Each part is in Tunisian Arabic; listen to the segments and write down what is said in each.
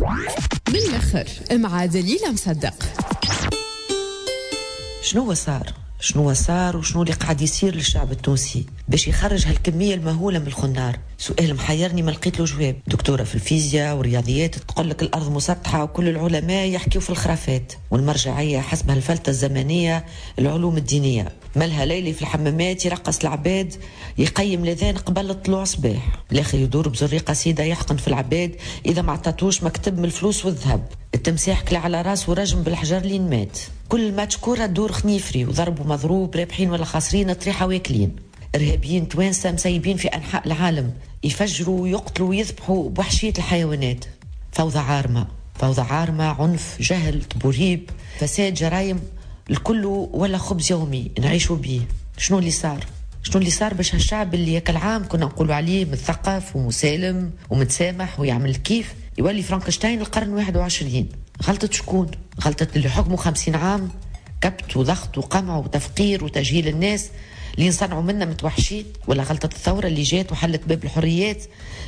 من الاخر مع دليلة مصدق. شنو صار؟ شنو صار وشنو اللي قاعد يصير للشعب التونسي باش يخرج هالكمية المهولة من الخنار؟ سؤال محيرني ما لقيت له جواب. دكتورة في الفيزياء والرياضيات تقول لك الأرض مسطحة وكل العلماء يحكيوا في الخرافات، والمرجعية حسب هالفلتة الزمنية العلوم الدينية. مالها ليلي في الحمامات يرقص العباد، يقيم الاذان قبل الطلوع صباح، الاخر يدور بزريقة سيدة يحقن في العباد إذا ما عطاتوش مكتب من الفلوس والذهب. التمساح كلا على راسه ورجم بالحجر لين مات. كل ماتش كورة دور خنيفري وضرب ومضروب، رابحين ولا خاسرين، طريحة واكلين. إرهابيين توانسة مسيبين في أنحاء العالم يفجروا ويقتلوا ويذبحوا بوحشية الحيوانات. فوضى عارمة، فوضى عارمة، عنف، جهل، تبوريب، فساد، جرايم، الكل ولا خبز يومي نعيشوا بيه. شنو اللي صار؟ شنو اللي صار باش هالشعب اللي ياك العام كنا نقولوا عليه مثقف ومسالم ومتسامح ويعمل كيف يولي فرانكشتاين القرن 21؟ غلطة شكون؟ غلطة اللي حكموا 50 عام كبت وضغط وقمع وتفقير وتجهيل الناس اللي صنعوا منا متوحشين؟ ولا غلطة الثورة اللي جات وحلت باب الحريات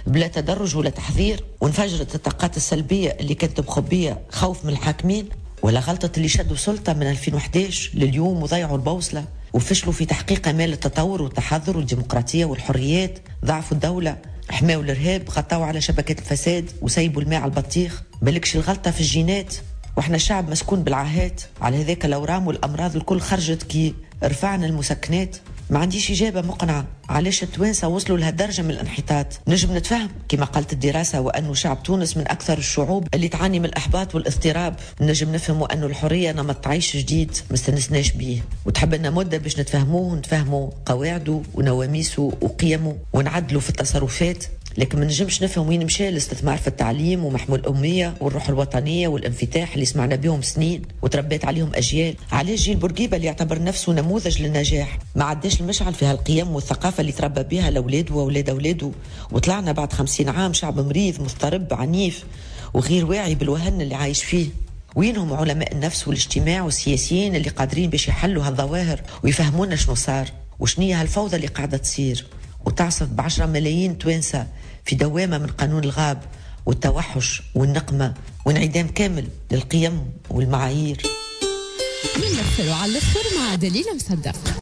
بلا تدرج ولا تحذير وانفجرت الطاقات السلبية اللي كانت مخبية خوف من الحاكمين؟ ولا غلطة اللي شدوا سلطة من 2011 لليوم وضيعوا البوصلة وفشلوا في تحقيق آمال التطور والتحضر والديمقراطية والحريات، ضعفوا الدولة، حماوا الإرهاب، غطاوا على شبكات الفساد وسيبوا الماء على البطيخ. بالكش الغلطة في الجينات، واحنا شعب مسكون بالعاهات، على هذاك الأورام والأمراض الكل خرجت كي رفعنا المسكنات. ما عنديش إجابة مقنعة علاش التوانسة وصلوا لهالدرجة من الانحطاط. نجم نتفهم كما قالت الدراسة وأنه شعب تونس من أكثر الشعوب اللي تعاني من الإحباط والاضطراب. نجم نفهم أنه الحرية نمط عيش جديد ما استنسناش بيه وتحب لنا مدة باش نتفهموه ونتفهموا قواعده ونواميسه وقيمه ونعدلوا في التصرفات. لكن ما نجمش نفهم وين مشى الاستثمار في التعليم ومحمو الأمية والروح الوطنية والانفتاح اللي سمعنا بهم سنين وتربيت عليهم أجيال. علاش جيل بورقيبة اللي يعتبر نفسه نموذج للنجاح ما عداش المشعل في هالقيم والثقافة اللي تربى بها الأولاد وأولاد أولاده، وطلعنا بعد 50 عام شعب مريض مضطرب عنيف وغير واعي بالوهن اللي عايش فيه؟ وينهم علماء النفس والاجتماع والسياسيين اللي قادرين باش يحلوا هالظواهر ويفهمونا شنو صار وشنية هالفوضى اللي قاعدة تصير وتعصف ب10 ملايين توانسة في دوامة من قانون الغاب والتوحش والنقمة وانعدام كامل للقيم والمعايير؟ من الآخر وعلى الآخر مع دليلة مصدق.